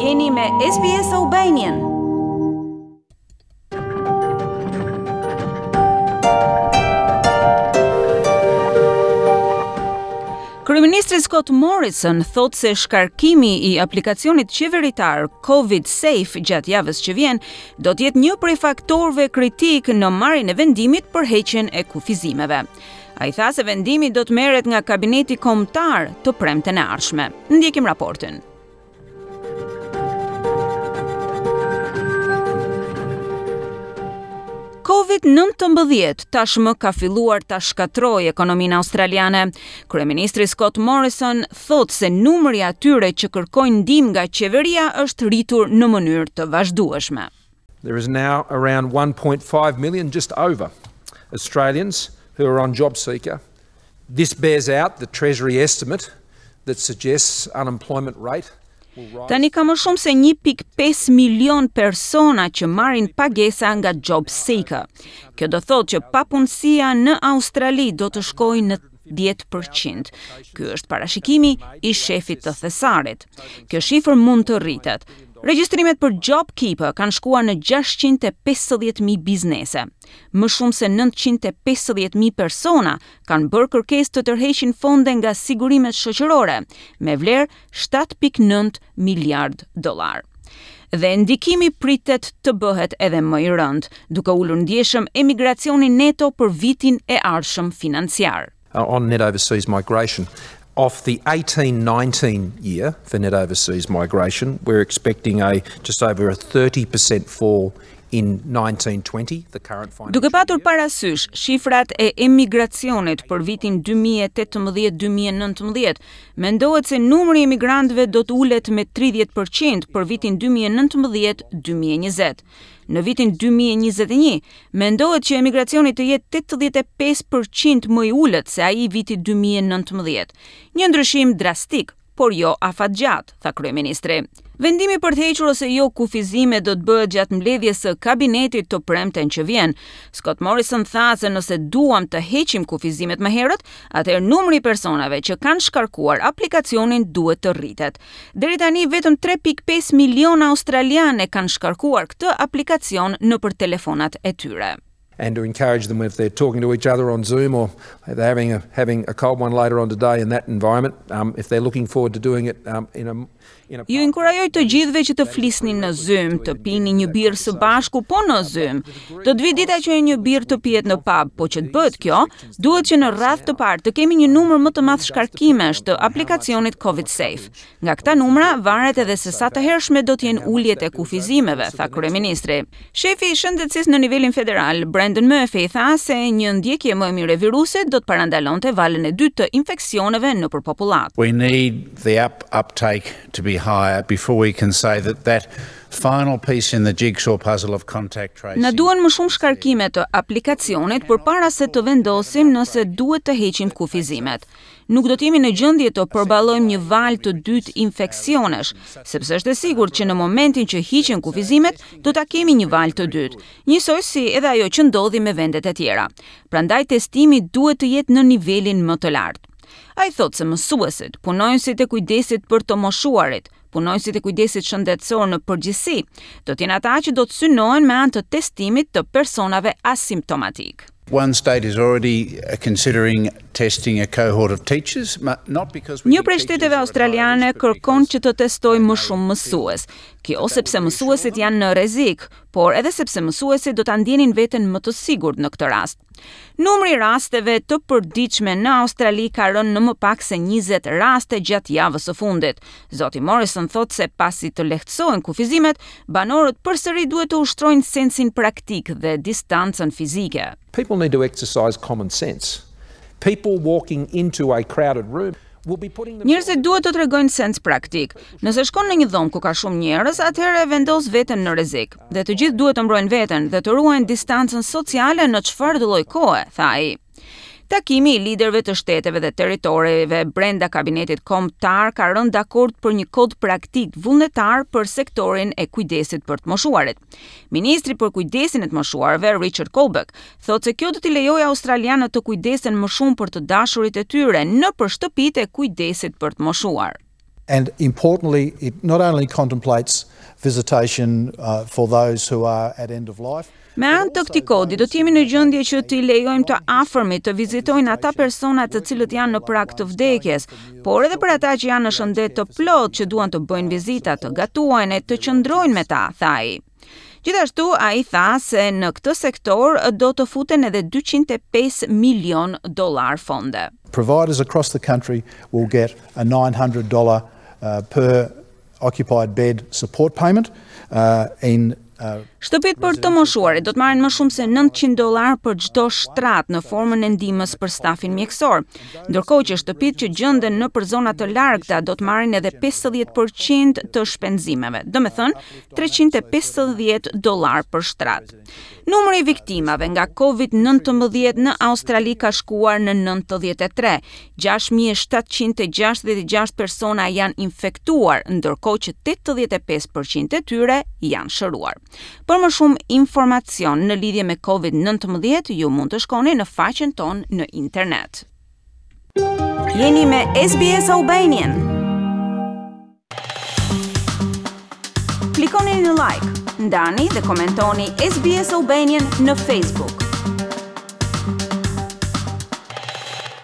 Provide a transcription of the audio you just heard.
Jeni me SBS Albanian. Kryeministri Scott Morrison thotë se shkarkimi i aplikacionit qeveritar Covid Safe gjatë javës që vjen do të jetë një prej faktorëve kritikë në marrjen e vendimit për heqjen e kufizimeve. Ai tha se vendimi do të merret nga kabineti kombëtar të premten e ardhshme. Ndjekim raportin. Covid-19 tashmë ka filluar ta shkatërrojë ekonominë australiane. Kryeministri Scott Morrison thotë se numri i atyre që kërkojnë ndihmë nga qeveria është rritur në mënyrë të vazhdueshme. There is now around 1.5 million just over Australians who are on JobSeeker. This bears out the Treasury estimate that suggests unemployment rate Tani ka më shumë se 1.5 milion persona që marrin pagesa nga JobSeeker. Kjo do thotë që papunësia në Australi do të shkojë në 10%. Ky është parashikimi i shefit të thesarit. Kjo shifër mund të rritet. Regjistrimet për JobKeeper kanë shkuar në 650.000 biznese. Më shumë se 950.000 persona kanë bërë kërkesë të tërheqin fonde nga sigurimet shoqërore me vlerë 7.9 miliard dollar. Dhe ndikimi pritet të bëhet edhe më i rëndë, duke ulur ndjeshëm emigracionin neto për vitin e ardhshëm financiar. Uh, on net overseas migration. Off the 18-19 year for net overseas migration, we're expecting a just over a 30% fall in 1920, the current financial Duke patur parasysh shifrat e emigracionit për vitin 2018-2019, mendohet se numri i emigrantëve do të ulet me 30% për vitin 2019-2020. Në vitin 2021, mendohet që emigracioni të jetë 85% më i ulët se ai i vitit 2019. Një ndryshim drastik, por jo afatgjatë, tha kryeministri. Vendimi për të hequr ose jo kufizimet do të bëhet gjatë mbledhjes së kabinetit të premten që vjen. Scott Morrison tha se nëse duam të heqim kufizimet më herët, atëherë numri i personave që kanë shkarkuar aplikacionin duhet të rritet. Deri tani vetëm 3.5 miliona australianë e kanë shkarkuar këtë aplikacion nëpër telefonat e tyre. And to encourage them if they're talking to each other on Zoom or they're having a, having a cold one later on today in that environment, um, if they're looking forward to doing it um, in a Ju inkurajoj të gjithëve që të flisni në Zoom, të pini një birrë së bashku, po në Zoom. Do të vijë dita që një birrë të pihet në pub, po që të bëhet kjo, duhet që në radhë të parë të kemi një numër më të madh shkarkimesh të aplikacionit Covid Safe. Nga këta numra varet edhe se sa të hershme do të jenë uljet e kufizimeve, tha kryeministri. Shefi i shëndetësisë në nivelin federal, Brendan Murphy, tha se një ndjekje më e mirë e virusit do të parandalonte valën e dytë të infeksioneve nëpër popullatë. We need the app uptake to be higher before we can say that that final piece in the jigsaw puzzle of contact tracing. Na duhen më shumë shkarkime të aplikacionit përpara se të vendosim nëse duhet të heqim kufizimet. Nuk do të jemi në gjendje të përballojmë një valë të dytë infeksionesh, sepse është e sigurt që në momentin që hiqen kufizimet, do ta kemi një valë të dytë, njësoj si edhe ajo që ndodhi me vendet e tjera. Prandaj testimi duhet të jetë në nivelin më të lartë. Ai thotë se mësuesit, punonjësit e kujdesit për të moshuarit, punonjësit e kujdesit shëndetësor në përgjithësi, do të jenë ata që do të synohen me anë të testimit të personave asimptomatikë. One state is already uh, considering testing a cohort of teachers, not because we Një prej shteteve australiane kërkon që të testojë më shumë mësues. Kjo sepse mësuesit janë në rrezik, por edhe sepse mësuesit do ta ndjenin veten më të sigurt në këtë rast. Numri i rasteve të përditshme në Australi ka rënë në më pak se 20 raste gjatë javës së fundit. Zoti Morrison thotë se pasi të lehtësohen kufizimet, banorët përsëri duhet të ushtrojnë sensin praktik dhe distancën fizike. People need to exercise common sense. People walking into a crowded room Njerëzit duhet të tregojnë sens praktik. Nëse shkon në një dhomë ku ka shumë njerëz, atëherë e vendos veten në rrezik. Dhe të gjithë duhet të mbrojnë veten dhe të ruajnë distancën sociale në çfarëdo lloj kohe, tha ai. Takimi i liderëve të shteteve dhe territoreve brenda kabinetit kombëtar ka rënë dakord për një kod praktik vullnetar për sektorin e kujdesit për të moshuarit. Ministri për kujdesin e të moshuarve, Richard Colbeck, thotë se kjo do t'i lejojë australianët të kujdesen më shumë për të dashurit e tyre nëpër shtëpitë e kujdesit për të moshuar. And importantly, it not only contemplates visitation uh, for those who are at end of life, Me anë të këtij kodi do të jemi në gjendje që t'i lejojmë të afërmit të vizitojnë ata persona të cilët janë në prag të vdekjes, por edhe për ata që janë në shëndet të plotë që duan të bëjnë vizita, të gatuajnë e të qëndrojnë me ta, tha ai. Gjithashtu ai tha se në këtë sektor do të futen edhe 205 milion dollar fonde. Providers across the country will get a $900 uh, per occupied bed support payment uh, in uh, Shtëpitë për të moshuarit do të marrin më shumë se 900 dollar për çdo shtrat në formën e ndihmës për stafin mjekësor, ndërkohë që shtëpitë që gjenden nëpër zona të largëta do të marrin edhe 50% të shpenzimeve, domethënë 350 dollar për shtrat. Numri i viktimave nga COVID-19 në Australi ka shkuar në 93. 6766 persona janë infektuar, ndërkohë që 85% e tyre janë shëruar. Për më shumë informacion në lidhje me COVID-19, ju mund të shkoni në faqen tonë në internet. Jeni me SBS Albanian. Klikoni në like, ndani dhe komentoni SBS Albanian në Facebook.